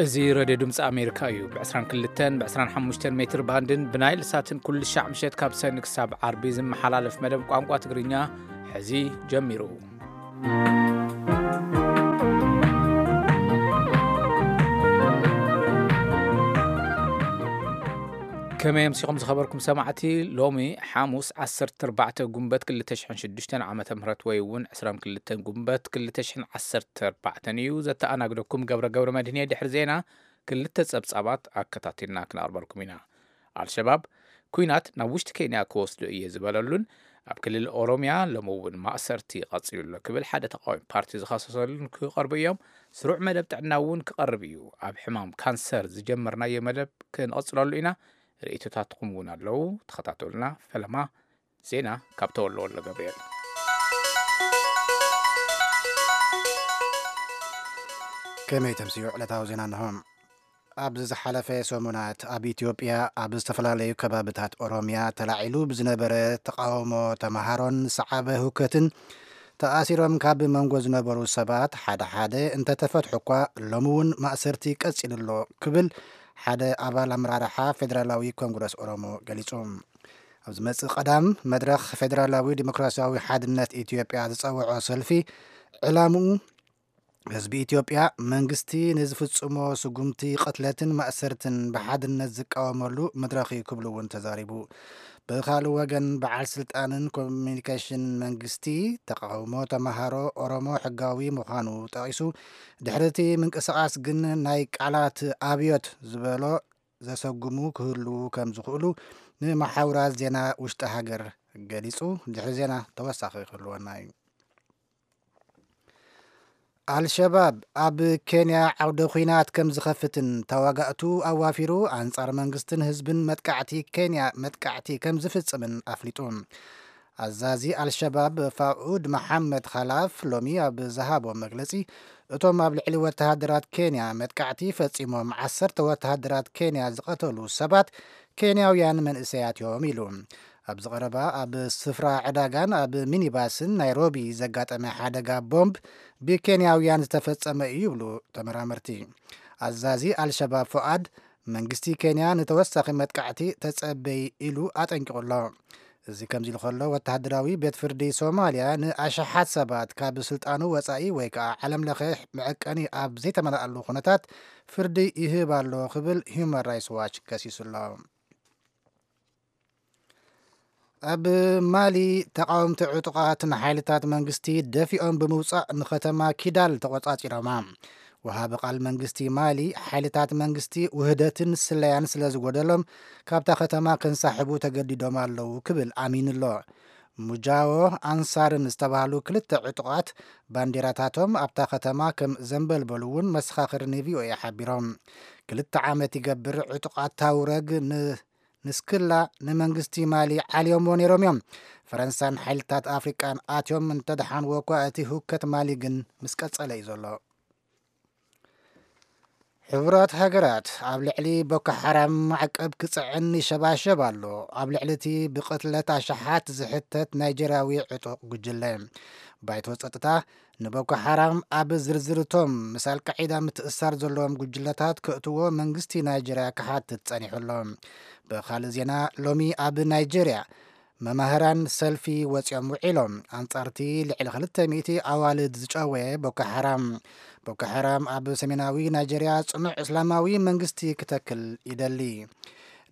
እዚ ሬድዮ ድምፂ ኣሜሪካ እዩ። ብ22ን ብ25 ሜትር ባንድን ብናይል ሳትን ኩሉ ሻዕ ምሸት ካብ ሰኒ ክሳብ ዓርቢ ዝመሓላለፍ መደብ ቋንቋ ትግርኛ ሕዚ ጀሚሩ። ከመይ ኣምሲኹም ዝኸበርኩም ሰማዕቲ? ሎሚ ሓሙስ ዓሰርተ ኣርባዕተ ጉንበት ክልተ ሽሕን ሽዱሽተን ዓመተ ምህረት ወይ እውን ዕስራን ክልተን ጉንበት ክልተ ሽሕን ዓሰርተ ኣርባዕተን እዩ። ዘተኣናግደኩም ገብረ ገብረ መድህን እየ። ድሕሪ ዜና ክልተ ጸብጻባት ኣከታቲልና ክነቕርበልኩም ኢና። ኣልሸባብ ኲናት ናብ ውሽጢ ኬንያ ክወስዶ እየ ዝበለሉን ኣብ ክልል ኦሮምያ ሎሚ እውን ማእሰርቲ ቀጺሉ ኣሎ ክብል ሓደ ተቃዋሚ ፓርቲ ዝኸሰሰሉን ክቐርቡ እዮም። ስሩዕ መደብ ጥዕና እውን ክቐርብ እዩ። ኣብ ሕማም ካንሰር ዝጀመርናዮ መደብ ክንቐጽለሉ ኢና። ርእይቶታትኩም እውን ኣለዉ። ተኸታተሉና። ፈለማ ዜና ካብ ተወልደ ወልደ ገብርኤል። ከመይ ተምስዩ ዕለታዊ ዜና እንሆ። ኣብዚ ዝሓለፈ ሰሙናት ኣብ ኢትዮጵያ ኣብ ዝተፈላለዩ ከባብታት ኦሮምያ ተላዒሉ ብዝነበረ ተቃውሞ ተምሃሮን ዝሰዓበ ህውከትን ተኣሲሮም ካብ መንጎ ዝነበሩ ሰባት ሓደ ሓደ እንተተፈትሑ እኳ ሎሚ እውን ማእሰርቲ ቀጺሉ ኣሎ ክብል ሓደ ኣባል ኣመራርሓ ፌደራላዊ ኮንግረስ ኦሮሞ ገሊጹ። ኣብ ዝመጽእ ቀዳም መድረኽ ፌደራላዊ ዲሞክራሲያዊ ሓድነት ኢትዮጵያ ዝጸውዖ ሰልፊ ዕላምኡ ህዝቢ ኢትዮጵያ መንግስቲ ንዝፍጽሞ ስጉምቲ ቅትለትን ማእሰርትን ብሓድነት ዝቃወመሉ መድረኽ እዩ ክብሉ እውን ተዛሪቡ። ብኻልእ ወገን በዓል ስልጣንን ኮሚኒኬሽን መንግስቲ ተቃውሞ ተምሃሮ ኦሮሞ ሕጋዊ ምዃኑ ጠቒሱ ድሕሪ እቲ ምንቅስቓስ ግን ናይ ቃላት ኣብዮት ዝበሎ ዘሰጉሙ ክህልዉ ከም ዝኽእሉ ንመሓውራት ዜና ውሽጢ ሃገር ገሊጹ። ድሕሪ ዜና ተወሳኺ ክህልወና እዩ። ኣልሸባብ ኣብ ኬንያ ዓውደ ኲናት ከም ዝኸፍትን ተዋጋእቱ ኣዋፊሩ ኣንጻር መንግስትን ህዝብን መጥቃዕቲ ኬንያ መጥቃዕቲ ከም ዝፍጽምን ኣፍሊጡ። ኣዛዚ ኣልሸባብ ፋኡድ መሓመድ ኻላፍ ሎሚ ኣብ ዝሃቦ መግለጺ እቶም ኣብ ልዕሊ ወተሃደራት ኬንያ መጥቃዕቲ ፈጺሞም ዓሰርተ ወተሃደራት ኬንያ ዝቐተሉ ሰባት ኬንያውያን መንእሰያት እዮም ኢሉ። ኣብዚ ቀረባ ኣብ ስፍራ ዕዳጋን ኣብ ሚኒባስን ናይሮቢ ዘጋጠመ ሓደጋ ቦምብ ብኬንያውያን ዝተፈጸመ እዩ ይብሉ ተመራመርቲ። ኣዛዚ ኣልሸባብ ፎኣድ መንግስቲ ኬንያ ንተወሳኺ መጥቃዕቲ ተጸበይ ኢሉ ኣጠንቂቑ ኣሎ። እዚ ከምዚ ኢሉ ከሎ ወተሃደራዊ ቤት ፍርዲ ሶማልያ ንኣሽሓት ሰባት ካብ ስልጣኑ ወጻኢ ወይ ከዓ ዓለም ለኸ መዐቀኒ ኣብ ዘይተመልኣሉ ኩነታት ፍርዲ ይህብ ኣሎ ክብል ሂውማን ራይትስ ዋች ከሲሱ ኣሎ። ኣብ ማሊ ተቃወምቲ ዕጡቓት ንሓይልታት መንግስቲ ደፊኦም ብምውጻእ ንከተማ ኪዳል ተቆጻጺሮማ። ወሃቢ ቃል መንግስቲ ማሊ ሓይልታት መንግስቲ ውህደትን ስለያን ስለ ዝጎደሎም ካብታ ከተማ ክንሳሕቡ ተገዲዶም ኣለዉ ክብል ኣሚኑ ኣሎ። ሙጃዎ ኣንሳርን ዝተባህሉ ክልተ ዕጡቓት ባንዲራታቶም ኣብታ ከተማ ከም ዘንበልበሉ እውን መሰኻኽር ን ቪ ኦ ኤ ሓቢሮም። ክልተ ዓመት ይገብር ዕጡቓት ታውረግ ን ንስክላ ንመንግስቲ ማሊ ዓልዮምዎ ነይሮም እዮም። ፈረንሳን ሓይልታት ኣፍሪቃን ኣትዮም እንተደሓንዎ እኳ እቲ ህውከት ማሊ ግን ምስ ቀጸለ እዩ ዘሎ። ሕቡራት ሃገራት ኣብ ልዕሊ ቦኮ ሓራም ማዕቀብ ክጽዕን ይሸባሸብ ኣሎ። ኣብ ልዕሊ እቲ ብቕትለት ኣሽሓት ዝሕተት ናይጀርያዊ ዕጡቕ ጉጅለ ባይቶ ጸጥታ ንቦኮ ሓራም ኣብ ዝርዝር እቶም ምስ ኣልቃዒዳ ምትእሳር ዘለዎም ጉጅለታት ከእትዎ መንግስቲ ናይጀርያ ክሓትት ጸኒሑ ኣሎ። ብኻልእ ዜና ሎሚ ኣብ ናይጀርያ መማህራን ሰልፊ ወፂኦም ውዒሎም ኣንፃርቲ ልዕሊ ክልተ ሚእቲ ኣዋልድ ዝጨወየ ቦኮ ሓራም። ቦኮ ሓራም ኣብ ሰሜናዊ ናይጀርያ ፅኑዕ እስላማዊ መንግስቲ ክተክል ይደሊ።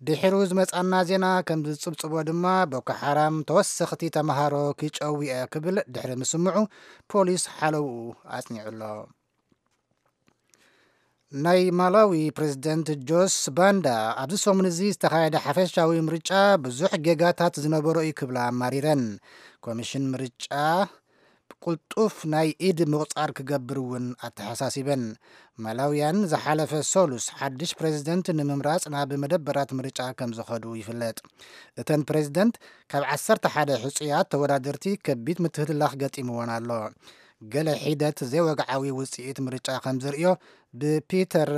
ድሒሩ ዝመፃና ዜና ከም ዝፅብፅቦ ድማ ቦኮ ሓራም ተወሰኽቲ ተምሃሮ ክጨውየ ክብል ድሕሪ ምስምዑ ፖሊስ ሓለውኡ ኣፅኒዑ ኣሎ። ናይ ማላዊ ፕሬዝደንት ጆስ ባንዳ ኣብዚ ሰሙን እዚ ዝተኻየደ ሓፈሻዊ ምርጫ ብዙሕ ጌጋታት ዝነበሮ እዩ ክብላ ኣማሪረን። ኮሚሽን ምርጫ ቅልጡፍ ናይ ኢድ ምቑጻር ክገብር እውን ኣተሓሳሲበን። ማላውያን ዝሓለፈ ሰሉስ ሓድሽ ፕሬዝደንት ንምምራጽ ናብ መደበራት ምርጫ ከም ዝኸዱ ይፍለጥ። እተን ፕሬዝደንት ካብ ዓሰርተ ሓደ ሕጹያት ተወዳደርቲ ከቢድ ምትህልላኽ ገጢምወን ኣሎ። ገለ ሒደት ዘይወግዓዊ ውጽኢት ምርጫ ከም ዘርእዮ ብፒተር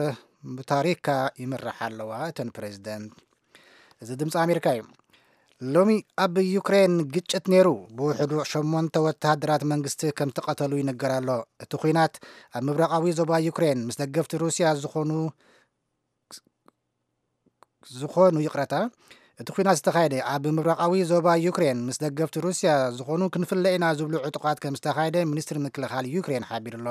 ሙታሪካ ይምርሓ ኣለዋ እተን ፕሬዝደንት። እዚ ድምፂ ኣሜሪካ እዩ። ሎሚ ኣብ ዩክሬን ግጭት ነይሩ። ብውሕዱ ሸሞንተ ወተሃደራት መንግስቲ ከም ተቐተሉ ይንገር ኣሎ። እቲ ኲናት ኣብ ምብራቓዊ ዞባ ዩክሬን ምስ ደገፍቲ ሩስያ ዝኾኑ፣ ዝኾኑ፣ ይቕረታ፣ እቲ ኲናት ዝተኻየደ ኣብ ምብራቓዊ ዞባ ዩክሬን ምስ ደገፍቲ ሩስያ ዝኾኑ ክንፍለ ኢና ዝብሉ ዕጡቓት ከም ዝተኻየደ ሚኒስትሪ ምክልኻል ዩክሬን ሓቢሩ ኣሎ።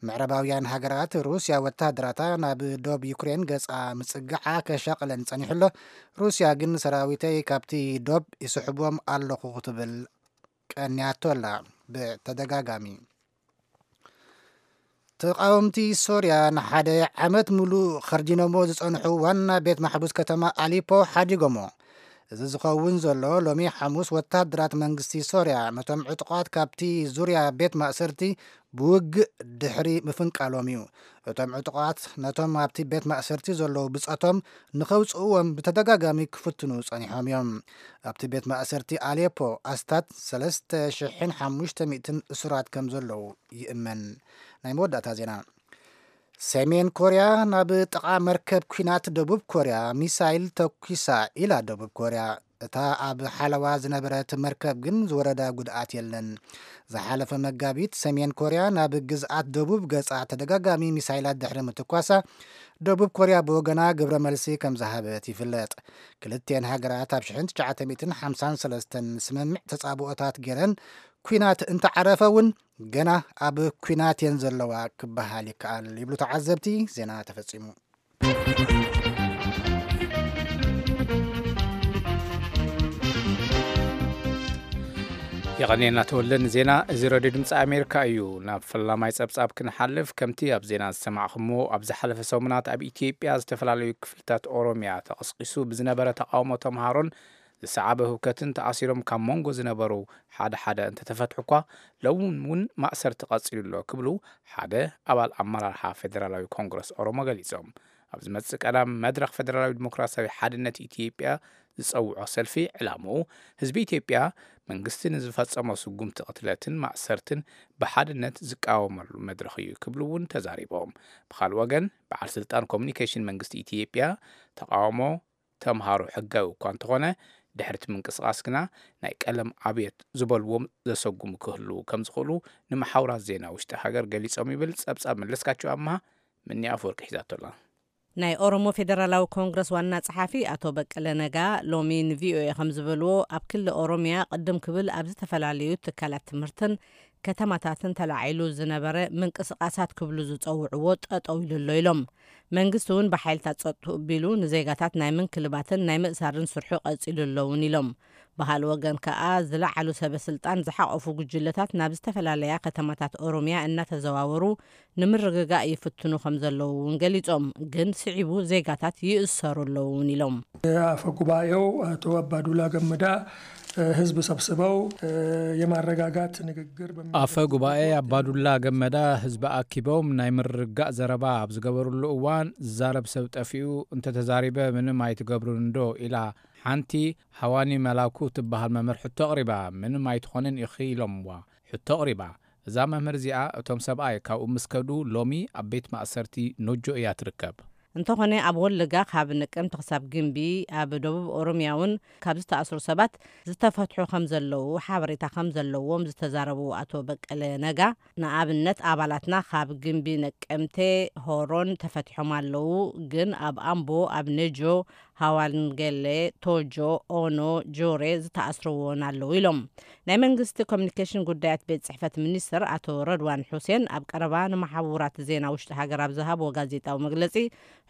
ምዕራባውያን ሃገራት ሩስያ ወተሃደራታ ናብ ዶብ ዩክሬን ገጻ ምጽግዓ ከሻቕለን ጸኒሑ ኣሎ። ሩስያ ግን ሰራዊተይ ካብቲ ዶብ ይስሕቦም ኣለኹ ክትብል ቀንያቶ ኣላ ብተደጋጋሚ። ተቃወምቲ ሶርያ ንሓደ ዓመት ሙሉእ ኸርዲኖሞ ዝጸንሑ ዋና ቤት ማሕቡስ ከተማ ኣሊፖ ሓዲጎሞ። እዚ ዝኸውን ዘሎ ሎሚ ሓሙስ ወተሃደራት መንግስቲ ሶርያ ነቶም ዕጡቓት ካብቲ ዙርያ ቤት ማእሰርቲ ብውግእ ድሕሪ ምፍንቃሎም እዩ። እቶም ዕጡቓት ነቶም ኣብቲ ቤት ማእሰርቲ ዘለዉ ብጸቶም ንኸውጽእዎም ብተደጋጋሚ ክፍትኑ ጸኒሖም እዮም። ኣብቲ ቤት ማእሰርቲ ኣሌፖ ኣስታት ሰለስተ ሽሕን ሓሙሽተ ሚእትን እሱራት ከም ዘለዉ ይእመን። ናይ መወዳእታ ዜና። ሰሜን ኮርያ ናብ ጥቓ መርከብ ኲናት ደቡብ ኮርያ ሚሳይል ተኲሳ ኢላ ደቡብ ኮርያ። እታ ኣብ ሓለዋ ዝነበረት መርከብ ግን ዝወረዳ ጉድኣት የለን። ዝሓለፈ መጋቢት ሰሜን ኮርያ ናብ ግዝኣት ደቡብ ገጻ ተደጋጋሚ ሚሳይላት ድሕሪ ምትኳሳ፣ ደቡብ ኮርያ ብወገና ግብረ መልሲ ከም ዝሃበት ይፍለጥ። ክልቲኤን ሃገራት ኣብ ሽሕን ትሽዓተ ሚእትን ሓምሳን ሰለስተን ስምምዕ ተጻብኦታት ገይረን፣ ኲናት እንተዓረፈ እውን ገና ኣብ ኲናት እየን ዘለዋ ክበሃል ይከኣል ይብሉ ተዓዘብቲ። ዜና ተፈጺሙ። የቐንየልና ተወልደ ንዜና። እዚ ሬድዮ ድምፂ ኣሜሪካ እዩ። ናብ ፈላማይ ፀብፃብ ክንሓልፍ፣ ከምቲ ኣብ ዜና ዝሰማዕኹሞ፣ ኣብ ዝሓለፈ ሰሙናት ኣብ ኢትዮጵያ ዝተፈላለዩ ክፍልታት ኦሮሚያ ተቐስቂሱ ብዝነበረ ተቃውሞ ተምሃሮን ዝሰዓበ ህውከትን ተኣሲሮም ካብ መንጎ ዝነበሩ ሓደ ሓደ እንተተፈትሑ እኳ፣ ሎም እውን ማእሰርቲ ቀፂሉ ኣሎ ክብሉ ሓደ ኣባል ኣመራርሓ ፌደራላዊ ኮንግረስ ኦሮሞ ገሊፆም። ኣብ ዝመፅእ ቀዳም መድረኽ ፌደራላዊ ዲሞክራሲያዊ ሓድነት ኢትዮጵያ ዝፀውዖ ሰልፊ ዕላምኡ ህዝቢ ኢትዮጵያ መንግስቲ ንዝፈፀሞ ስጉምቲ ቅትለትን ማእሰርትን ብሓድነት ዝቃወመሉ መድረኽ እዩ ክብሉ እውን ተዛሪቦም። ብኻልእ ወገን በዓል ስልጣን ኮሚኒኬሽን መንግስቲ ኢትዮጵያ ተቃውሞ ተምሃሮ ሕጋዊ እኳ እንተኾነ ድሕርቲ ምንቅስቃስ ግና ናይ ቀለም ኣብዮት ዝበልዎም ዘሰጉሙ ክህልዉ ከም ዝኽእሉ ንመሓውራት ዜና ውሽጢ ሃገር ገሊጾም ይብል ጸብጻብ መለስካቸው ኣምሃ። ምኒ ኣፈወርቂ ሒዛቶ ኣላ። ናይ ኦሮሞ ፌደራላዊ ኮንግረስ ዋና ጸሓፊ ኣቶ በቀለ ነጋ ሎሚ ንቪኦኤ ከም ዝበልዎ ኣብ ክሊ ኦሮሚያ ቅድም ክብል ኣብ ዝተፈላለዩ ትካላት ትምህርትን ከተማታትን ተላዒሉ ዝነበረ ምንቅስቃሳት ክብሉ ዝጸውዕዎ ጠጠው ኢሉ ኣሎ ኢሎም። መንግስቲ እውን ብሓይልታት ጸጥትኡ ቢሉ ንዜጋታት ናይ ምንክልባትን ናይ ምእሳርን ስርሑ ቀጺሉ ኣሎ እውን ኢሎም። ብኻልእ ወገን ከኣ ዝለዓሉ ሰበ ስልጣን ዝሓቆፉ ጉጅለታት ናብ ዝተፈላለያ ከተማታት ኦሮሚያ እናተዘዋወሩ ንምርግጋእ ይፍትኑ ከም ዘለዉ እውን ገሊጾም። ግን ስዒቡ ዜጋታት ይእሰሩ ኣለዉ እውን ኢሎም። አፈ ጉባኤው አቶ አባዱላ ገመዳ ህዝብ ሰብስበው የማረጋጋት ንግግር በሚያደርጉበት አፈ ጉባኤ ወቅት አባዱላ ገመዳ ህዝቢ ኣኪቦም ናይ ምርግጋእ ዘረባ ኣብ ዝገበሩሉ እዋን ዝዛረብ ሰብ ጠፊኡ እንተተዛሪበ ምንም ኣይትገብሩን እንዶ ኢላ ሓንቲ ሃዋኒ መላኩ ትበሃል መምህር ሕቶ ኣቕሪባ። ምንም ኣይትኾንን ኢኺ ኢሎምዋ። ሕቶ ኣቕሪባ። እዛ መምህር እዚኣ እቶም ሰብኣይ ካብኡ ምስ ከዱ ሎሚ ኣብ ቤት ማእሰርቲ ኖጆ እያ ትርከብ። እንተኾነ ኣብ ወለጋ ካብ ነቀምቲ ክሳብ ግንቢ ኣብ ደቡብ ኦሮሚያ እውን ካብ ዝተኣስሩ ሰባት ዝተፈትሑ ከም ዘለዉ ሓበሬታ ከም ዘለዎም ዝተዛረቡ ኣቶ በቀለ ነጋ፣ ንኣብነት ኣባላትና ካብ ግንቢ ነቀምቴ ሆሮን ተፈቲሖም ኣለዉ፣ ግን ኣብ ኣምቦ፣ ኣብ ነጆ፣ ሃዋንገሌ፣ ቶጆ፣ ኦኖ፣ ጆሬ ዝተኣስርዎ እውን ኣለዉ ኢሎም። ናይ መንግስቲ ኮሚኒኬሽን ጉዳያት ቤት ጽሕፈት ሚኒስትር ኣቶ ረድዋን ሑሴን ኣብ ቀረባ ንመሓውራት ዜና ውሽጢ ሃገር ኣብ ዝሃብዎ ጋዜጣዊ መግለጺ፣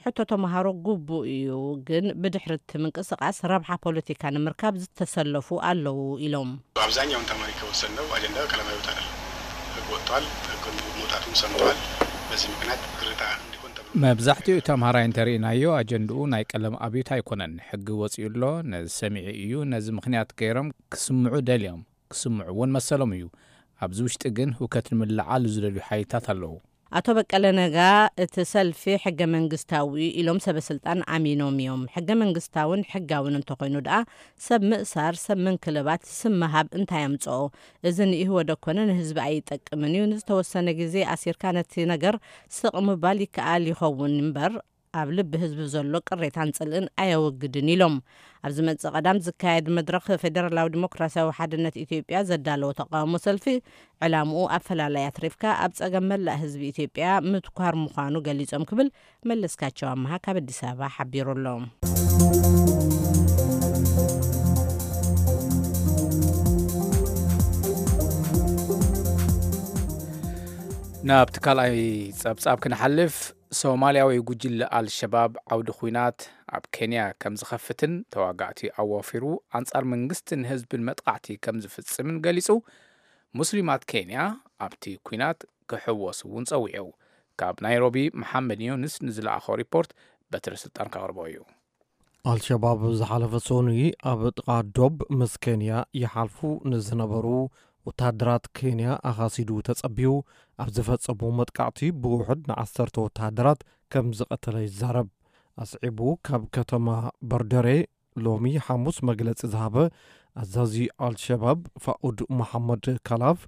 ሕቶ ተምሃሮ ግቡእ እዩ፣ ግን ብድሕሪ እቲ ምንቅስቃስ ረብሓ ፖለቲካ ንምርካብ ዝተሰለፉ ኣለዉ ኢሎም። አብዛኛውን ተማሪ ከወሰንነው አጀንዳ ቀለማዊ ወታደር ህግ ወጥቷል። ህግ መውጣቱን ሰምተዋል። በዚህ ምክንያት ግርታ እንዲሆን ተብሎ መብዛሕትኡ ተምሃራይ እንተርኢናዮ ኣጀንድኡ ናይ ቀለም ኣብዮት ኣይኮነን። ሕጊ ወፂኡ ኣሎ፣ ነዚ ሰሚዑ እዩ። ነዚ ምኽንያት ገይሮም ክስምዑ ደልዮም፣ ክስምዑ እውን መሰሎም እዩ። ኣብዚ ውሽጢ ግን ህውከት ንምልዓል ዝደልዩ ሓይልታት ኣለዉ። ኣቶ በቀለ ነጋ እቲ ሰልፊ ሕገ መንግስታዊ ኢሎም ሰበ ስልጣን ኣሚኖም እዮም። ሕገ መንግስታውን ሕጋውን እንተኾይኑ ደኣ ሰብ ምእሳር፣ ሰብ ምንክልባት፣ ስም ምሃብ እንታይ ኣምጽኦ? እዚ ንኢህወደግ ኮነ ንህዝቢ ኣይጠቅምን እዩ። ንዝተወሰነ ግዜ ኣሲርካ ነቲ ነገር ስቕ ምባል ይከኣል ይኸውን እምበር ኣብ ልቢ ህዝቢ ዘሎ ቅሬታን ጽልእን ኣየወግድን ኢሎም። ኣብ ዝመጽእ ቀዳም ዝካየድ መድረኽ ፌደራላዊ ዲሞክራሲያዊ ሓድነት ኢትዮጵያ ዘዳለዎ ተቃውሞ ሰልፊ ዕላምኡ ኣፈላላይ ኣትሪፍካ ኣብ ጸገም መላእ ህዝቢ ኢትዮጵያ ምትኳር ምዃኑ ገሊጾም ክብል መለስካቸው ኣምሃ ካብ ኣዲስ ኣበባ ሓቢሩ ኣሎ። ናብቲ ካልኣይ ጸብጻብ ክንሓልፍ፣ ሶማልያዊ ጉጅለ ኣልሸባብ ዓውዲ ኲናት ኣብ ኬንያ ከም ዝኸፍትን ተዋጋእቲ ኣዋፊሩ ኣንጻር መንግስትን ህዝብን መጥቃዕቲ ከም ዝፍጽምን ገሊጹ። ሙስሊማት ኬንያ ኣብቲ ኲናት ክሕወሱ እውን ጸዊዑ። ካብ ናይሮቢ መሓመድ ዮንስ ንዝለኣኾ ሪፖርት በትሪ ስልጣን ከቕርቦ እዩ። ኣልሸባብ ዝሓለፈ ሰኑይ ኣብ ጥቓ ዶብ ምስ ኬንያ ይሓልፉ ንዝነበሩ ወታደራት ኬንያ ኣኻሲዱ ተጸቢዩ ኣብ ዝፈጸሙ መጥቃዕቲ ብውሑድ ንዓሰርተ ወታደራት ከም ዝቐተለ ይዛረብ። ኣስዒቡ ካብ ከተማ በርደሬ ሎሚ ሓሙስ መግለጺ ዝሃበ ኣዛዚ ኣልሸባብ ፋኡድ መሓመድ ካላፍ፣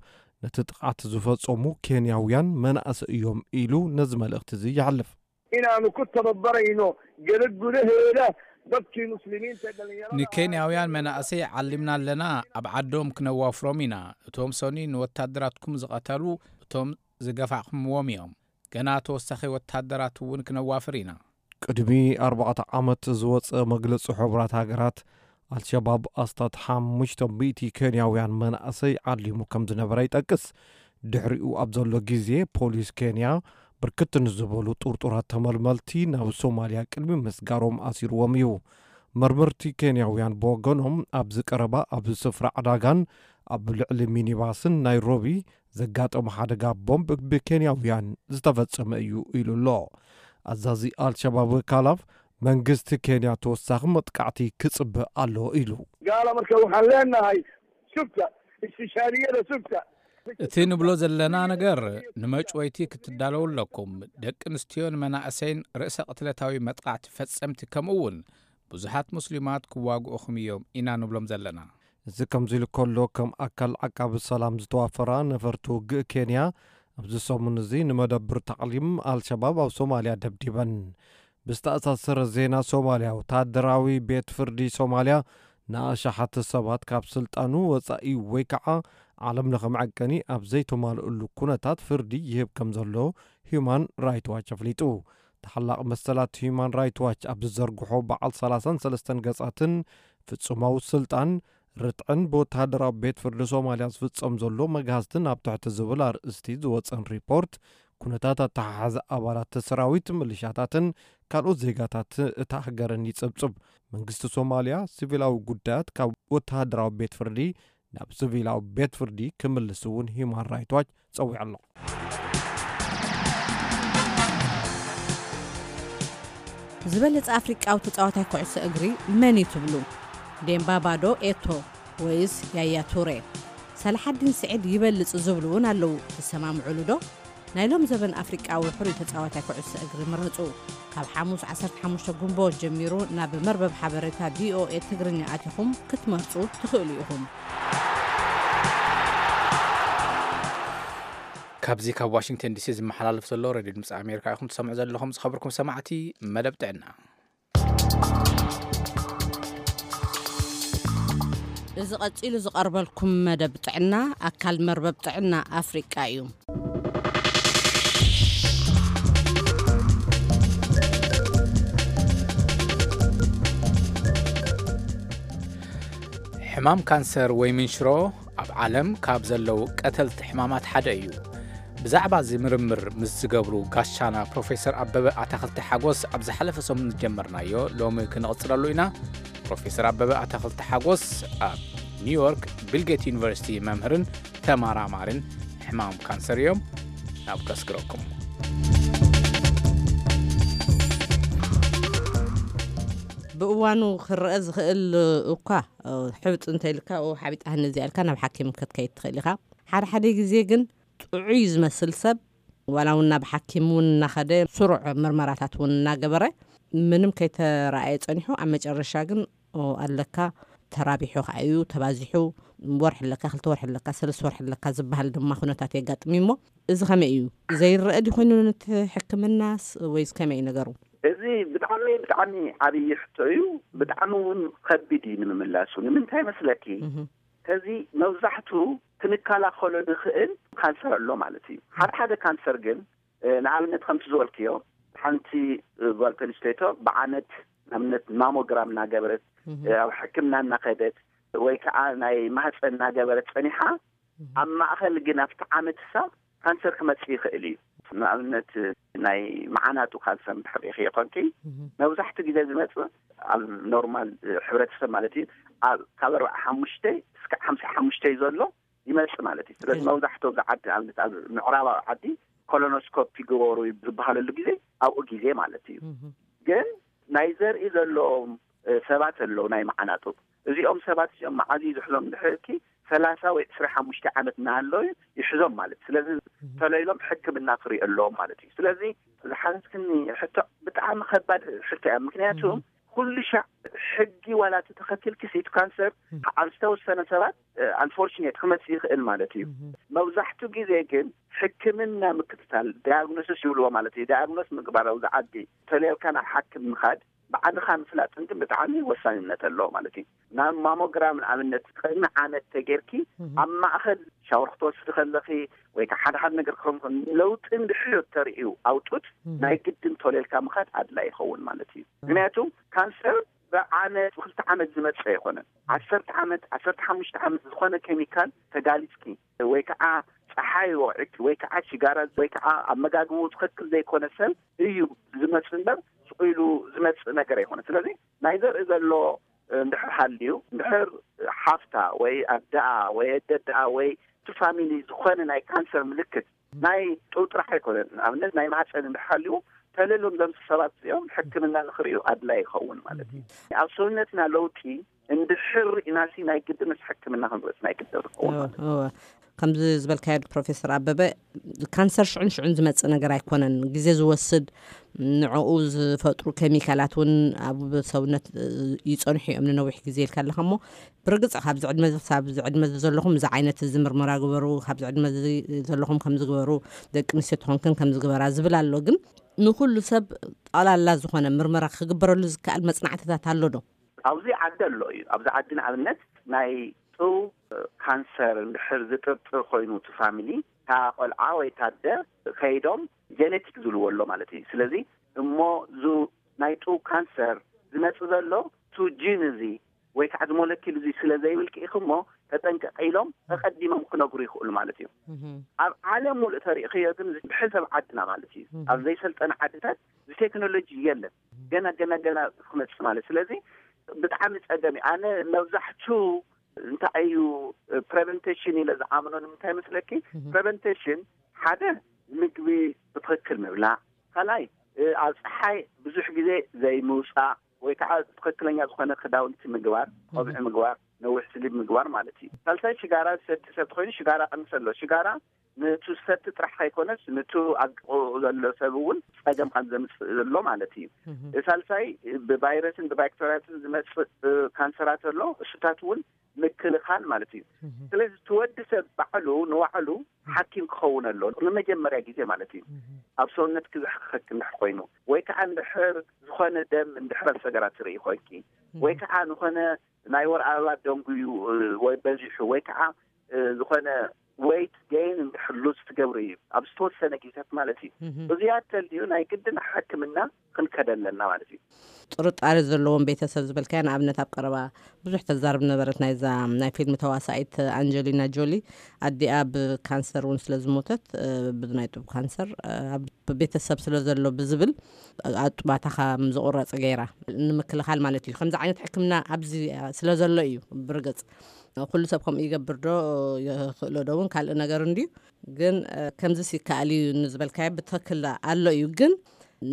ነቲ ጥቕዓት ዝፈጸሙ ኬንያውያን መናእሰይ እዮም ኢሉ ነዚ መልእኽቲ እዚ ይሓልፍ። Inaanu ku tababarayno gabadh gudaheeda dadkii muslimiinta dhalinyarada ንኬንያውያን መናእሰይ ዓሊምና ኣለና። ኣብ ዓዶም ክነዋፍሮም ኢና። እቶም ሰኒ ንወታደራትኩም ዝቐተሉ እቶም ዝገፋዕኩምዎም እዮም። ገና ተወሳኺ ወታደራት እውን ክነዋፍር ኢና። ቅድሚ ኣርባዕተ ዓመት ዝወጸ መግለጺ ሕቡራት ሃገራት፣ ኣልሸባብ ኣስታት ሓሙሽተ ሚእቲ ኬንያውያን መናእሰይ ዓሊሙ ከም ዝነበረ ይጠቅስ። ድሕሪኡ ኣብ ዘሎ ግዜ ፖሊስ ኬንያ ብርክት ንዝበሉ ጥርጡራት ተመልመልቲ ናብ ሶማልያ ቅድሚ ምስጋሮም ኣሲርዎም እዩ። መርመርቲ ኬንያውያን ብወገኖም ኣብዚ ቀረባ ኣብዚ ስፍራ ዕዳጋን ኣብ ልዕሊ ሚኒባስን ናይሮቢ ዘጋጠመ ሓደጋ ቦምብ ብኬንያውያን ዝተፈጸመ እዩ ኢሉ ኣሎ። ኣዛዚ ኣልሸባብ ካላፍ መንግስቲ ኬንያ ተወሳኺ መጥቃዕቲ ክጽበ ኣሎ ኢሉ። Gaala marka waxaan leenahay sugta, istishaadiyada sugta. እቲ ንብሎ ዘለና ነገር ንመጭወይቲ ክትዳለዉ ኣለኩም። ደቂ ኣንስትዮን መናእሰይን ርእሰ ቅትለታዊ መጥቃዕቲ ፈጸምቲ ከምኡ እውን ብዙሓት ሙስሊማት ክዋግኡኹም እዮም ኢና ንብሎም ዘለና። እዚ ከምዚ ኢሉ ከሎ ከም ኣካል ዓቃቢ ሰላም ዝተዋፈራ ነፈርቲ ውግእ ኬንያ ኣብዚ ሰሙን እዚ ንመደብር ታዕሊም ኣልሸባብ ኣብ ሶማልያ ደብዲበን። ብዝተኣሳሰረ ዜና ሶማልያ፣ ወታደራዊ ቤት ፍርዲ ሶማልያ ንኣሽሓት ሰባት ካብ ስልጣኑ ወጻኢ ወይ ከዓ ዓለም ለኸ መዐቀኒ ኣብ ዘይተማልእሉ ኩነታት ፍርዲ ይህብ ከም ዘሎ ሂዩማን ራይት ዋች ኣፍሊጡ። ተሓላቒ መሰላት ሂዩማን ራይት ዋች ኣብ ዝዘርግሖ በዓል ሰላሳን ሰለስተን ገጻትን ፍጹማዊ ስልጣን ርትዕን ብወተሃደራዊ ቤት ፍርዲ ሶማልያ ዝፍጸም ዘሎ መግሃዝትን ኣብ ትሕቲ ዝብል ኣርእስቲ ዝወጸን ሪፖርት፣ ኩነታት ኣተሓሓዛ ኣባላት ሰራዊት፣ ምልሻታትን ካልኦት ዜጋታት እታ ሃገርን ይጽብጽብ። መንግስቲ ሶማልያ ሲቪላዊ ጉዳያት ካብ ወተሃደራዊ ቤት ፍርዲ ናብ ሲቪላዊ ቤት ፍርዲ ክምልስ እውን ሂዩማን ራይት ዋች ጸዊዑ ኣሎ። ዝበለጸ ኣፍሪቃዊ ተጻዋታይ ኩዕሶ እግሪ መን እዩ ትብሉ? ዴምባባ ዶ ኤቶ ወይስ ያያ ቱሬ? ሰላሓዲን ስዒድ ይበልጽ ዝብሉ እውን ኣለዉ። ትሰማምዑሉ ዶ? ናይ ሎም ዘበን ኣፍሪቃዊ ሕሩይ ተጻዋታይ ኩዕሶ እግሪ ምረጹ። ካብ ሓሙስ ዓሰርተ ሓሙሽተ ጉንቦት ጀሚሩ ናብ መርበብ ሓበሬታ ቪኦኤ ትግርኛ ኣቲኹም ክትመርጹ ትኽእሉ ኢኹም። ካብዚ ካብ ዋሽንግተን ዲሲ ዝመሓላለፍ ዘሎ ሬድዮ ድምፂ ኣሜሪካ ኢኹም ትሰምዑ ዘለኹም። ዝኸበርኩም ሰማዕቲ፣ መደብ ጥዕና። እዚ ቀጺሉ ዝቐርበልኩም መደብ ጥዕና ኣካል መርበብ ጥዕና ኣፍሪቃ እዩ። ሕማም ካንሰር ወይ ምንሽሮ ኣብ ዓለም ካብ ዘለዉ ቀተልቲ ሕማማት ሓደ እዩ። ብዛዕባ እዚ ምርምር ምስ ዝገብሩ ጋሻና ፕሮፌሰር ኣበበ ኣታኽልቲ ሓጎስ ኣብ ዝሓለፈ ሰሙን ዝጀመርናዮ ሎሚ ክንቕጽለሉ ኢና። ፕሮፌሰር ኣበበ ኣታኽልቲ ሓጎስ ኣብ ኒውዮርክ ቢልጌት ዩኒቨርሲቲ መምህርን ተመራማርን ሕማም ካንሰር እዮም። ናብ ከስግረኩም። ብእዋኑ ክረአ ዝኽእል እኳ፣ እ፣ ሕብጥ እንተኢልካ፣ "ኦ፣ ሓቢጣ ሃኒ እዚኣ" ኢልካ ናብ ሓኪም ክትከይድ ትኽእል ኢኻ። ሓደ ሓደ ግዜ ግን ጥዑይ ዝመስል ሰብ፣ ዋላ እውን ናብ ሓኪም እውን እናኸደ፣ ስሩዕ ምርመራታት እውን እናገበረ፣ ምንም ከይተረኣየ ጸኒሑ፣ ኣብ መጨረሻ ግን፣ "ኦ፣ ኣለካ፣ ተራቢሑ ከኣ እዩ፣ ተባዚሑ፣ ወርሒ ኣለካ፣ ክልተ ወርሒ ኣለካ፣ ሰለስተ ወርሒ ኣለካ" ዝበሃል ድማ ኩነታት የጋጥም እዩ። እሞ እዚ ከመይ እዩ? ዘይረአ ድዩ ኮይኑ ነቲ ሕክምናስ፣ ወይስ ከመይ እዩ ነገሩ? እዚ ብጣዕሚ ብጣዕሚ ዓብዪ ሕቶ እዩ። ብጣዕሚ እውን ከቢድ እዩ ንምምላሱ። ንምንታይ መስለኪ? እዚ መብዛሕቱ ክንከላኸሎ ንኽእል ካንሰር ኣሎ ማለት እዩ። ሓደ ሓደ ካንሰር ግን፣ ንኣብነት ከምቲ ዝበልክዮ፣ ሓንቲ ጓል ተንስተይቶ ብዓመት ንኣብነት ማሞግራም እናገበረት፣ ኣብ ሕክምና እናኸደት ወይ ከዓ ናይ ማህፀን እናገበረት ፀኒሓ፣ ኣብ ማእኸል ግን ኣብቲ ዓመት ሳብ ካንሰር ክመፅእ ይኽእል እዩ። ንኣብነት ናይ መዓናጡ ካንሰር እንድሕር ርኢኽዮ ኮንኪ፣ መብዛሕትኡ ግዜ ዝመፅእ ኣብ ኖርማል ሕብረተሰብ ማለት እዩ፣ ኣብ ካብ ኣርባዓ ሓሙሽተ እስከ ሓምሳ ሓሙሽተ ዘሎ ይመፅእ ማለት እዩ። ስለዚ መብዛሕትኡ ኣብዚ ዓዲ፣ ኣብነት ኣብ ምዕራባዊ ዓዲ ኮሎኖስኮፕ ይግበሩ ዝበሃለሉ ግዜ ኣብኡ ግዜ ማለት እዩ። ግን ናይ ዘርኢ ዘለዎም ሰባት ኣለዉ፣ ናይ መዓናጡ። እዚኦም ሰባት እዚኦም መዓዝ እዩ ዝሕዞም እንድሕር ኢልኪ፣ ሰላሳ ወይ ዕስራ ሓሙሽተ ዓመት እናሃለዉ ይሕዞም ማለት። ስለዚ ተለይሎም ሕክምና ክሪኦ ኣለዎም ማለት እዩ። ስለዚ ዝሓተትክኒ ሕቶ ብጣዕሚ ከባድ ሕቶ እያ። ምክንያቱ ኩሉ ሻዕ ሕጊ ዋላ እቲ ተኸቲልኪ፣ ሲቲ ካንሰር ኣብ ዝተወሰነ ሰባት፣ ኣንፎርችኔት፣ ክመፅእ ይኽእል ማለት እዩ። መብዛሕትኡ ግዜ ግን ሕክምና ምክትታል፣ ዳያግኖሲስ ይብልዎ ማለት እዩ። ዳያግኖስ ምግባር ኣብዚ ዓዲ ተለየልካ ናብ ሓኪም ምኻድ፣ ባዕልኻ ምፍላጥን ግን ብጣዕሚ ወሳንነት ኣለዎ ማለት እዩ። ናብ ማሞግራም ንኣብነት ቅድሚ ዓመት ተጌርኪ ኣብ ማእኸል ሻወር ክትወስዲ ከለኺ ወይ ከዓ ሓደ ሓደ ነገር ክኸውን ከሎ ለውጢ እንድሕር ተርእዩ ኣውጡት ናይ ግድን ተወልየልካ ምኻድ ኣድላይ ይኸውን ማለት እዩ። ምክንያቱ ካንሰር ብዓመት ብክልተ ዓመት ዝመፅእ ኣይኮነን። ዓሰርተ ዓመት ዓሰርተ ሓሙሽተ ዓመት ዝኾነ ኬሚካል ተጋሊፅኪ ወይ ከዓ ፀሓይ ወቂዕኪ ወይ ከዓ ሽጋራ ወይ ከዓ ኣመጋግቡ ትኽክል ዘይኮነ ሰብ እዩ ዝመፅእ እምበር ስቕ ኢሉ ዝመፅእ ነገር ኣይኮነን። ስለዚ ናይ ዘርኢ ዘሎ እንድሕር ሃልዩ እንድሕር ሓፍታ ወይ ኣደኣ ወይ ኣደኣ ወይ እቲ ፋሚሊ ዝኾነ ናይ ካንሰር ምልክት ናይ ጡብ ጥራሕ ኣይኮነን። ንኣብነት ናይ ማህፀን እንድሕር ሃልዩ ተለሎም ዘምስ ሰባት እዚኦም ሕክምና ንክርእዩ ኣድላይ ይኸውን ማለት እዩ። ኣብ ሰውነትና ለውጢ እንድሕር ርኢናሲ ናይ ግድንስ ሕክምና ክንርእስ ናይ ግድን ዝኸውን ማለት እዩ። ከምዚ ዝበልካዮ ፕሮፌሰር ኣበበ፣ ካንሰር ሽዑን ሽዑን ዝመፅእ ነገር ኣይኮነን። ግዜ ዝወስድ፣ ንዕኡ ዝፈጥሩ ኬሚካላት እውን ኣብ ሰውነት ይፀንሑ እዮም ንነዊሕ ግዜ ኢልካ ኣለካ። እሞ ብርግፅ ካብዚ ዕድመ እዚ ክሳብ እዚ ዕድመ እዚ ዘለኹም እዚ ዓይነት እዚ ምርመራ ግበሩ፣ ካብዚ ዕድመ እዚ ዘለኹም ከምዚ ግበሩ፣ ደቂ ኣንስትዮ ተኾንክን ከምዚ ግበራ ዝብል ኣሎ። ግን ንኩሉ ሰብ ጠቕላላ ዝኾነ ምርመራ ክግበረሉ ዝከኣል መፅናዕትታት ኣሎ ዶ? ኣብዚ ዓዲ ኣሎ እዩ። ኣብዚ ዓዲ ንኣብነት ናይ ጡብ ካንሰር እንድሕር ዝጥርጥር ኮይኑ እቲ ፋሚሊ፣ እታ ቆልዓ ወይ እታ ኣደ ከይዶም ጀኔቲክ ዝብልዎ ኣሎ ማለት እዩ። ስለዚ እሞ ዙ ናይ ጡብ ካንሰር ዝመፅእ ዘሎ ቱ ጂን እዚ ወይ ከዓ ዝሞለኪል እዚ ስለ ዘይብልኪ ኢኹ እሞ ተጠንቀቂ ኢሎም ተቐዲሞም ክነግሩ ይኽእሉ ማለት እዩ። ኣብ ዓለም ሙሉእ ተሪእኽዮ ግን ብሕሰብ ዓድና ማለት እዩ፣ ኣብ ዘይሰልጠነ ዓድታት ቴክኖሎጂ የለን። ገና ገና ገና ክመፅእ ማለት። ስለዚ ብጣዕሚ ፀገም እዩ። ኣነ መብዛሕቱ እንታይ እዩ ፕሬቨንቴሽን ኢለ ዝኣምኖ ንምንታይ መስለኪ? ፕሬቨንቴሽን ሓደ ምግቢ ብትኽክል ምብላዕ፣ ካልኣይ ኣብ ፀሓይ ብዙሕ ግዜ ዘይምውፃእ ወይ ከዓ ትኽክለኛ ዝኾነ ክዳውንቲ ምግባር፣ ቆብዒ ምግባር፣ ነዊሕ ስሊብ ምግባር ማለት እዩ። ሳልሳይ ሽጋራ ዝሰቲ ሰብ ተኮይኑ ሽጋራ ቀንስ ኣሎ። ሽጋራ ንቱ ዝሰቲ ጥራሕ ከይኮነስ ንቱ ኣብ ጥቕኡ ዘሎ ሰብ እውን ፀገም ከም ዘምፅእ ዘሎ ማለት እዩ። ሳልሳይ ብቫይረስን ብባክተርያትን ዝመፅእ ካንሰራት ኣሎ፣ እሱታት እውን ምክልኻል ማለት እዩ። ስለዚ እቲ ወዲ ሰብ ባዕሉ ንባዕሉ ሓኪም ክኸውን ኣሎ ንመጀመርያ ግዜ ማለት እዩ። ኣብ ሰውነትኪ ዘሕክኸኪ እንድሕር ኮይኑ ወይ ከዓ እንድሕር ዝኾነ ደም እንድሕር ኣብ ሰገራ ትርኢ ኮይንኪ ወይ ከዓ ዝኾነ ናይ ወር ኣበባ ደንጉዩ ወይ በዚሑ ወይ ከዓ ዝኾነ ወይት ገይን እንድሕር ሉዝ ትገብሪ እዩ ኣብ ዝተወሰነ ግዜታት ማለት እዩ። እዚኣ ተልዩ ናይ ግድን ሕክምና ክንከደ ኣለና ማለት እዩ። ጥርጣሬ ዘለዎም ቤተሰብ ዝበልካዮ ንኣብነት ኣብ ቀረባ ብዙሕ ተዛርብ ነበረት ናይዛ ናይ ፊልም ተዋሳኢት ኣንጀሊና ጆሊ ኣዲኣ ብካንሰር እውን ስለ ዝሞተት ብናይ ጡብ ካንሰር ኣብ ቤተሰብ ስለ ዘሎ ብዝብል ኣጡባታ ከም ዝቑረፅ ገይራ ንምክልኻል ማለት እዩ። ከምዚ ዓይነት ሕክምና ኣብዚ ስለ ዘሎ እዩ። ብርግፅ ኩሉ ሰብ ከምኡ ይገብር ዶ ይኽእሎ ዶ እውን ካልእ ነገር እንድዩ። ግን ከምዚ ይከኣል እዩ ንዝበልካዮ ብትኽክል ኣሎ እዩ። ግን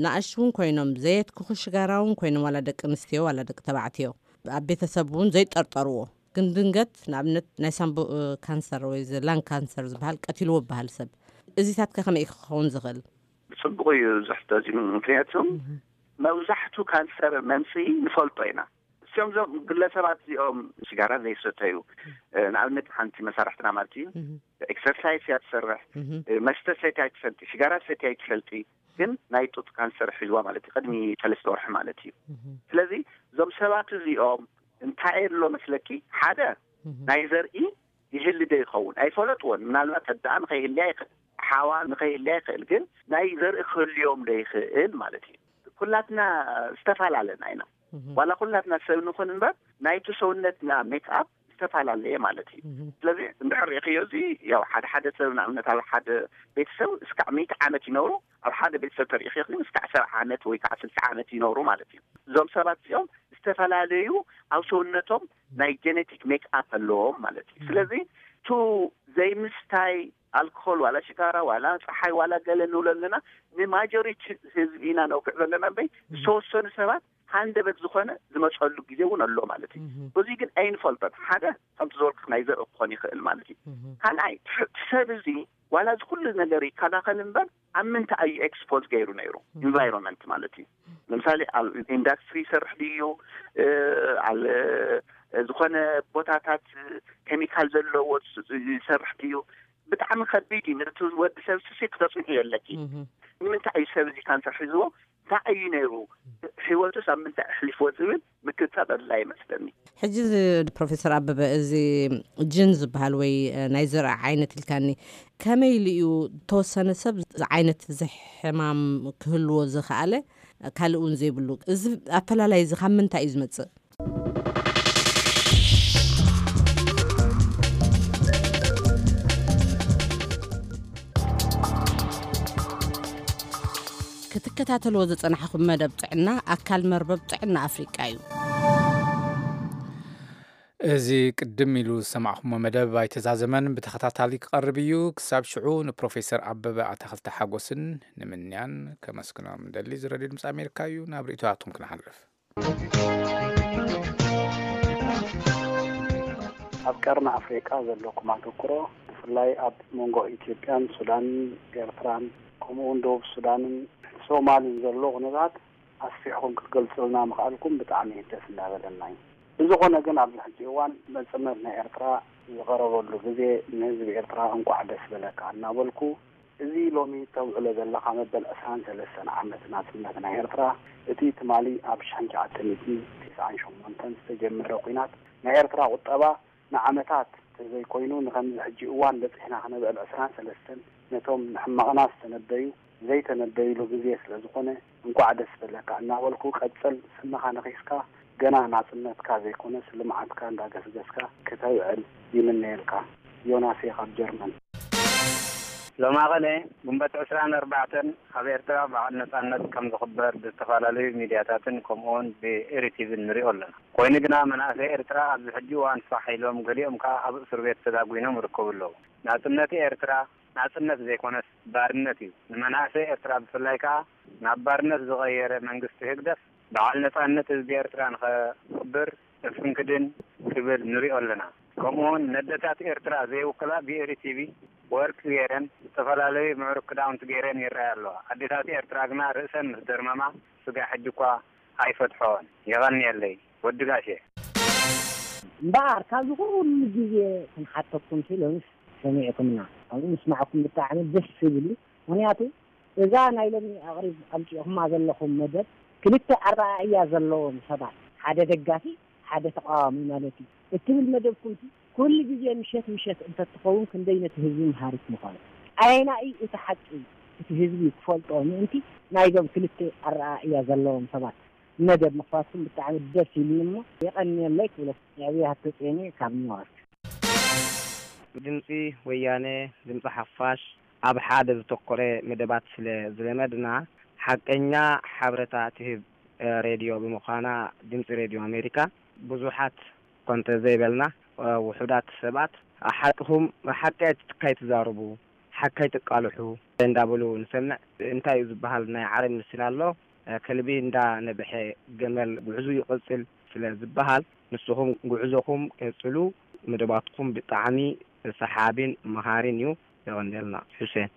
ንኣሽቱ እውን ኮይኖም ዘየትክኹ ሽጋራ እውን ኮይኖም ዋላ ደቂ ኣንስትዮ ዋላ ደቂ ተባዕትዮ ኣብ ቤተሰብ እውን ዘይጠርጠርዎ ግን ድንገት ንኣብነት ናይ ሳምቡእ ካንሰር ወይ ላንግ ካንሰር ዝበሃል ቀቲልዎ ዝበሃል ሰብ እዚታት ከ ከመይ ክኸውን ዝኽእል? ብፅቡቕ እዩ ዝሕተት እዩ። ምክንያቱ መብዛሕቱ ካንሰር መምፅኢ ንፈልጦ ኢና። እዚኦም ዞም ግለሰባት እዚኦም ሽጋራ ዘይሰተዩ ንኣብነት ሓንቲ መሳርሕትና ማለት እዩ ኤክሰርሳይስ እያ ትሰርሕ፣ መስተ ሰትያ ኣይትፈልጢ፣ ሽጋራ ሰትያ ኣይትፈልጢ፣ ግን ናይ ጡጥ ካንሰር ሒዝዋ ማለት እዩ፣ ቅድሚ ሰለስተ ወርሒ ማለት እዩ። ስለዚ እዞም ሰባት እዚኦም እንታይ ኣሎ መስለኪ? ሓደ ናይ ዘርኢ ይህሊ ዶ ይኸውን ኣይፈለጥዎን። ምናልባት ኣዳኣ ንኸይህልያ ይኽእል፣ ሓዋ ንኸይህልያ ይኽእል፣ ግን ናይ ዘርኢ ክህልዮም ዶ ይኽእል ማለት እዩ። ኩላትና ዝተፈላለና ኢና። ዋላ ኩላትና ሰብ ንኹን እምበር ናይቲ ሰውነትና ሜክኣፕ ዝተፈላለየ ማለት እዩ። ስለዚ እንድሕር ርኢኽዮ፣ እዚ ያው ሓደ ሓደ ሰብ ንኣብነት ኣብ ሓደ ቤተሰብ እስካዕ ሚእቲ ዓመት ይነብሩ፣ ኣብ ሓደ ቤተሰብ ተርኢኽዮ ግን እስካዕ ሰብዓ ዓመት ወይ ከዓ ስልሳ ዓመት ይነብሩ ማለት እዩ። እዞም ሰባት እዚኦም ዝተፈላለዩ ኣብ ሰውነቶም ናይ ጀነቲክ ሜክኣፕ ኣለዎም ማለት እዩ። ስለዚ ቱ ዘይምስታይ ኣልኮል ዋላ ሽጋራ ዋላ ፀሓይ ዋላ ገለ ንብሎ ኣለና፣ ንማጆሪቲ ህዝቢ ኢና ነውግዕ ዘለና እምበይ ዝተወሰኑ ሰባት ሃንደበት ዝኾነ ዝመፀሉ ግዜ እውን ኣሎ ማለት እዩ። እዚ ግን ኣይንፈልጦን። ሓደ ከምቲ ዝበልኩ ናይ ዘርኢ ክኾን ይኽእል ማለት እዩ። ካልኣይ እቲ ሰብ እዚ ዋላ እዚ ኩሉ ነገር ይከላኸል እምበር ኣብ ምንታይ እዩ ኤክስፖዝ ገይሩ ነይሩ? ኢንቫይሮንመንት ማለት እዩ። ለምሳሌ ኣብ ኢንዳስትሪ ይሰርሕ ድዩ? ኣብ ዝኾነ ቦታታት ኬሚካል ዘለዎ ይሰርሕ ድዩ? ብጣዕሚ ከቢድ እዩ። ነቲ ወዲ ሰብ ስሲ ክተፅንሑ የለኪ። ንምንታይ እዩ ሰብ እዚ ካንሰር ሒዝዎ? እንታይ እዩ ነይሩ? ህይወቱስ ኣብ ምንታይ ኣሕሊፍዎ ዝብል ምክትታል ኣድላይ ይመስለኒ። ሕጂ እዚ ፕሮፌሰር ኣበበ፣ እዚ ጅን ዝበሃል ወይ ናይ ዘርኢ ዓይነት ኢልካኒ፣ ከመይ ኢሉ እዩ ተወሰነ ሰብ ዓይነት እዚ ሕማም ክህልዎ ዝኸኣለ ካልእ እውን ዘይብሉ? እዚ ኣፈላላይ እዚ ካብ ምንታይ እዩ ዝመጽእ? ክትከታተልዎ ዝጸናሕኹም መደብ ጥዕና ኣካል መርበብ ጥዕና ኣፍሪቃ እዩ። እዚ ቅድም ኢሉ ዝሰማዕኹሞ መደብ ኣይተዛዘመን፣ ብተኸታታሊ ክቐርብ እዩ። ክሳብ ሽዑ ንፕሮፌሰር ኣበበ ኣታኽልቲ ሓጎስን ንምንያን ከመስግኖም እንደሊ። እዚ ሬድዮ ድምፂ ኣሜሪካ እዩ። ናብ ርእይቶታትኩም ክንሓልፍ። ኣብ ቀርኒ ኣፍሪቃ ዘለኩም ኣተኩሮ፣ ብፍላይ ኣብ መንጎ ኢትዮጵያን ሱዳንን ኤርትራን፣ ከምኡ እውን ደቡብ ሱዳንን ሶማልን ዘሎ ኩነታት ኣስፊሕኩም ክትገልጹልና ምኽኣልኩም ብጣዕሚ ደስ እናበለና እዩ። ብዝኾነ ግን ኣብዚ ሕጂ እዋን መጽነት ናይ ኤርትራ ዝቐረበሉ ግዜ ንህዝቢ ኤርትራ እንቋዕ ደስ በለካ እናበልኩ፣ እዚ ሎሚ ተውዕሎ ዘለኻ መበል ዕስራን ሰለስተን ዓመት ናጽነት ናይ ኤርትራ፣ እቲ ትማሊ ኣብ ሽሕን ትሽዓተ ሚእትን ተስዓን ሸሞንተን ዝተጀመረ ኲናት ናይ ኤርትራ ቁጠባ ንዓመታት ተዘይኮይኑ ንኸምዚ ሕጂ እዋን በጺሕና ክነበል ዕስራን ሰለስተን ነቶም ንሕመቕና ዝተነበዩ ዘይተነበዩሉ ግዜ ስለ ዝኾነ እንቋዕ ደስ በለካ እናበልኩ፣ ቀጽል፣ ስምኻ ነኺስካ ገና ናጽነትካ ዘይኮነስ ልምዓትካ እንዳገስገስካ ክተብዕል ይምነየልካ። ዮናስ እየ ካብ ጀርመን። ሎማቐነ ግንቦት ዕስራን ኣርባዕተን ኣብ ኤርትራ በዓል ነጻነት ከም ዝኽበር ብዝተፈላለዩ ሚድያታትን ከምኡውን ብኤሪቲቪን ንሪኦ ኣለና። ኮይኑ ግና መናእሰይ ኤርትራ ኣብዚ ሕጂ እዋን ፋሕ ኢሎም፣ ገሊኦም ከኣ ኣብ እስር ቤት ተዳጒኖም ይርከቡ ኣለዉ። ናጽነት ኤርትራ ናጽነት ዘይኮነስ ባርነት እዩ። ንመናእሰይ ኤርትራ ብፍላይ ከኣ ናብ ባርነት ዝቐየረ መንግስቲ ህግደፍ በዓል ነጻነት ህዝቢ ኤርትራ ንኸኽብር እፍንክድን ክብል ንሪኦ ኣለና። ከምኡውን ነደታት ኤርትራ ዘይውክላ ብኤሪ ቲቪ ወርቂ ገይረን ዝተፈላለዩ ምዕሩግ ክዳውንቲ ገይረን ይረኣያ ኣለዋ። ኣዴታት ኤርትራ ግና ርእሰን ምስ ደርመማ ስጋ ሕጂ እኳ ኣይፈትሖን። የቐንየለይ። ወዲ ጋሼ። እምበኣር ካብዚ ኩሉ ግዜ ክንሓተኩም ሲሎንስ ሰሚዕኩምና። ኣብኡ ምስማዕኩም ብጣዕሚ ደስ ዝብል እዩ። ምኽንያቱ እዛ ናይ ሎሚ ኣቕሪብ ኣምጺእኹማ ዘለኹም መደብ ክልተ ኣረኣእያ ዘለዎም ሰባት፣ ሓደ ደጋፊ ሓደ ተቓዋሚ ማለት እዩ፣ እትብል መደብኩም ኩሉ ግዜ ምሸት ምሸት እንተትኸውን ክንደይ ነቲ ህዝቢ መሃሪት ምኾነ። ኣየናይ እዩ እቲ ሓቂ? እቲ ህዝቢ ክፈልጦ ምእንቲ ናይዞም ክልተ ኣረኣእያ ዘለዎም ሰባት መደብ ምኽፋትኩም ብጣዕሚ ደስ ኢሉኒ እሞ የቐንየለይ ክብለኩም። ነቢያት ተጼኒ ካብ ኒውዮርክ። ድምፂ ወያነ፣ ድምፂ ሓፋሽ ኣብ ሓደ ዝተኮረ መደባት ስለ ዝለመድና፣ ሓቀኛ ሓበሬታ ትህብ ሬድዮ ብምዃና፣ ድምፂ ሬድዮ ኣሜሪካ ብዙሓት ኮንተ ዘይበልና ውሑዳት ሰባት፣ ሓቅኹም፣ ሓቂ ኣይትካይ ትዛረቡ፣ ሓካይ ትቃልሑ እንዳበሉ ንሰምዕ። እንታይ እዩ ዝበሃል ናይ ዓረብ ምስል ኣሎ፣ ከልቢ እንዳነበሐ ገመል ጉዕዙ ይቕጽል ስለ ዝበሃል፣ ንስኹም ጉዕዞኹም ቀጽሉ። መደባትኩም ብጣዕሚ ሰሓቢን መሃሪን እዩ። የቐንየልና። ሑሴን።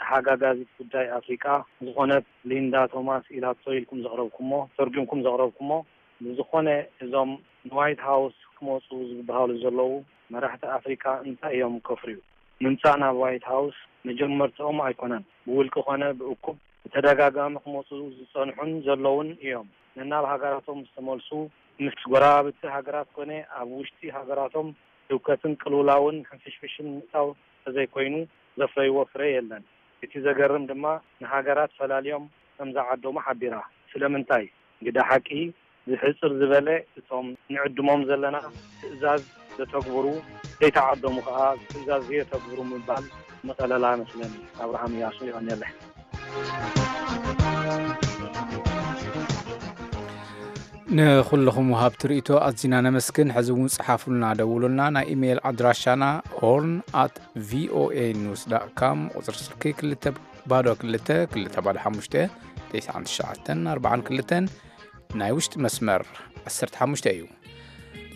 ተሓጋጋዚት ጉዳይ ኣፍሪቃ ዝኾነት ሊንዳ ቶማስ ኢላቶ ኢልኩም ዘቕረብኩሞ፣ ተርጉምኩም ዘቕረብኩሞ፣ ብዝኾነ እዞም ንዋይት ሃውስ ክመጹ ዝበሃሉ ዘለዉ መራሕቲ ኣፍሪቃ እንታይ እዮም ከፍርዩ? ምምጻእ ናብ ዋይት ሃውስ መጀመርትኦም ኣይኮነን። ብውልቂ ኮነ ብእኩብ ብተደጋጋሚ ክመጹ ዝጸንሑን ዘለውን እዮም። ነናብ ሃገራቶም ዝተመልሱ ምስ ጎረባብቲ ሃገራት ኮነ ኣብ ውሽጢ ሃገራቶም ህውከትን ቅልውላውን ሕንፍሽፍሽን ምእታው ተዘይኮይኑ ዘፍረይዎ ፍረ የለን። እቲ ዘገርም ድማ ንሃገራት ፈላልዮም ከም ዝዓደሙ ሓቢራ። ስለምንታይ? ግደ ሓቂ ዝሕጽር ዝበለ እቶም ንዕድሞም ዘለና ትእዛዝ ዘተግብሩ፣ ዘይተዓደሙ ከኣ ትእዛዝ ዘየተግብሩ ምባል ምቐለላ መስለኒ። ኣብርሃም እያሱ ይቐንየለይ። ንኹልኹም ወሃብቲ ርእይቶ ኣዚና ነመስግን። ሕዚ እውን ጸሓፉልና፣ ደውሉልና። ናይ ኢሜይል ኣድራሻና ሆርን ኣት ቪኦኤ ኒውስ ዳት ካም፣ ቁጽሪ ስልኪ ክልተ ባዶ ክልተ ክልተ ባዶ ሓሙሽተ ተስዓን ትሽዓተን ኣርባዓን ክልተን፣ ናይ ውሽጢ መስመር ዓሰርተ ሓሙሽተ እዩ።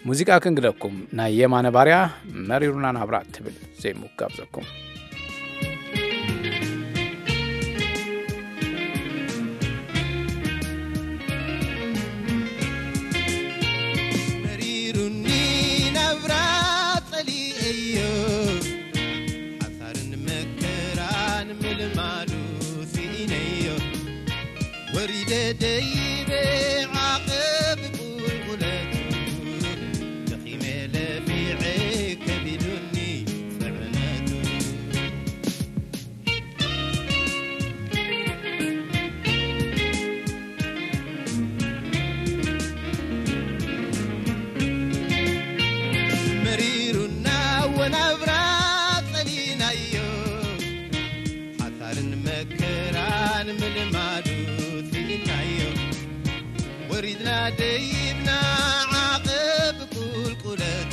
ሙዚቃ ክንግደኩም፣ ናይ የማነ ባርያ መሪሩና ናብራ ትብል ዜሙ ጋብዘኩም። መሪሩኒ ናብራ ጸሊኤዮ፣ ሓሳርን መከራን ምልማዱ ስኢነዮ። ወሪደ ደይበ ዓቐብ ቁልቁለቱ፣ ደኺመ ለፊዐ ከቢዱኒ ጽዕነቱ። መሪሩና ወናብራ ጸሊናዮ፣ ሓሳርን መከራን ምልማዱ ስኢናዮ። ወሪድና ደይብና ዓቐብ ቁልቁለቱ፣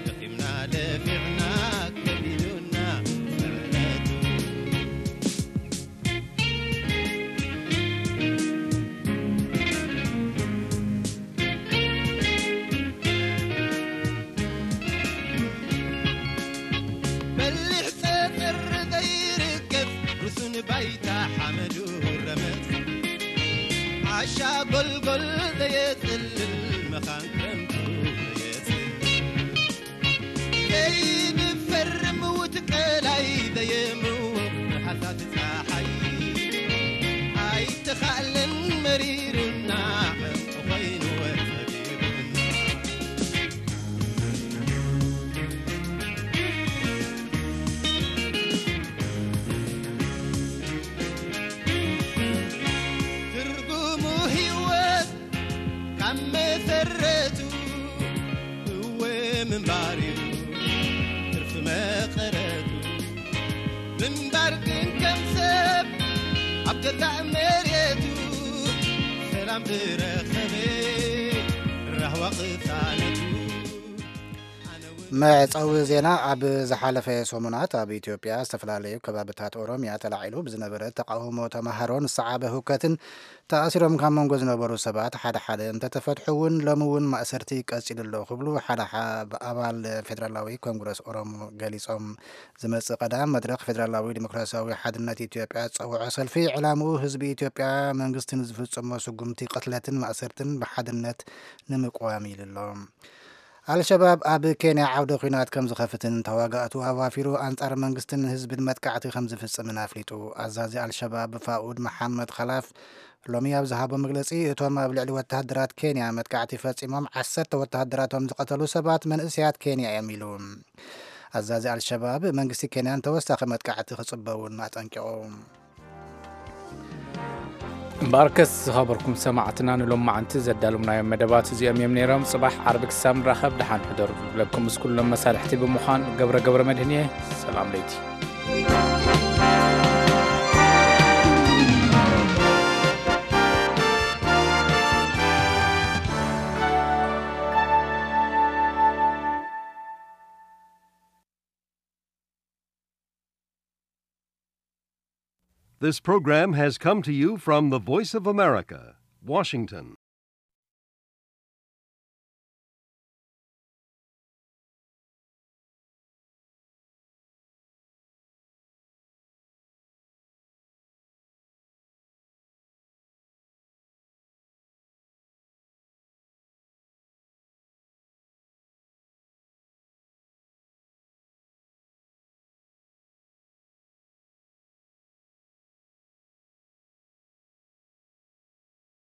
ደኺምና ለፊዕና ከቢዱና ጽዕነቱ። በሊሕ ጸጸር ዘይርከብ ርሱን ባይታ ሓመዱ ረመጽ፣ ዓሻ ጎልጎል ዘየጽልል መኻን ክረምቱ ዘየጽልል፣ ዘይንፈር ምውት ቀላይ ዘየምውቕ ርሓሳት ጸሓይ፣ ኣይተኻእለን መሪሩና ዕንቁ ኮይኑ ወጸቢቡና። ትርጉሙ ህይወት ካብ መሰረቱ እወ ምንባር እዩ ትርፊ መቐረቱ። ምንባር ግን ከም ሰብ ኣብ ገዛእ መሬቱ ሰላም ዝረኸበ ራህዋ ቅሳነቱ። መዕጸዊ ዜና። ኣብ ዝሓለፈ ሰሙናት ኣብ ኢትዮጵያ ዝተፈላለዩ ከባብታት ኦሮሚያ ተላዒሉ ብዝነበረ ተቃውሞ ተማሃሮን ዝሰዓበ ህውከትን ተኣሲሮም ካብ መንጎ ዝነበሩ ሰባት ሓደ ሓደ እንተተፈትሑ እውን ሎሚ እውን ማእሰርቲ ቀጺሉ ኣሎ ክብሉ ሓደ ሓ-፣ ኣባል ፌደራላዊ ኮንግረስ ኦሮሞ ገሊጾም። ዝመጽእ ቀዳም መድረኽ ፌደራላዊ ዲሞክራሲያዊ ሓድነት ኢትዮጵያ ዝጸውዖ ሰልፊ ዕላምኡ ህዝቢ ኢትዮጵያ መንግስቲ ንዝፍጽሞ ስጉምቲ ቅትለትን ማእሰርትን ብሓድነት ንምቅዋም ኢሉ ኣሎ። ኣልሸባብ ኣብ ኬንያ ዓውደ ኲናት ከም ዝኸፍትን ተዋጋእቱ ኣዋፊሩ ኣንጻር መንግስትን ህዝብን መጥቃዕቲ ከም ዝፍጽምን ኣፍሊጡ። ኣዛዚ ኣልሸባብ ፋኡድ መሓመድ ኸላፍ ሎሚ ኣብ ዝሃቦ መግለጺ፣ እቶም ኣብ ልዕሊ ወተሃደራት ኬንያ መጥቃዕቲ ፈጺሞም ዓሰርተ ወተሃደራቶም ዝቐተሉ ሰባት መንእሰያት ኬንያ እዮም ኢሉ። ኣዛዚ ኣልሸባብ መንግስቲ ኬንያን ተወሳኺ መጥቃዕቲ ክጽበ እውን ኣጠንቂቑ። እምበኣርከስ ዝኸበርኩም ሰማዕትና፣ ንሎማዓንቲ ዘዳለምናዮም መደባት እዚኦም እዮም ነይሮም። ጽባሕ ዓርቢ ክሳብ ንራኸብ ደሓን ሕደሩ። ክብለኩም ምስ ኩሎም መሳርሕቲ ብምዃን ገብረ ገብረ መድህን እየ። ሰላም ለይቲ። This program has come to you from the Voice of America, Washington.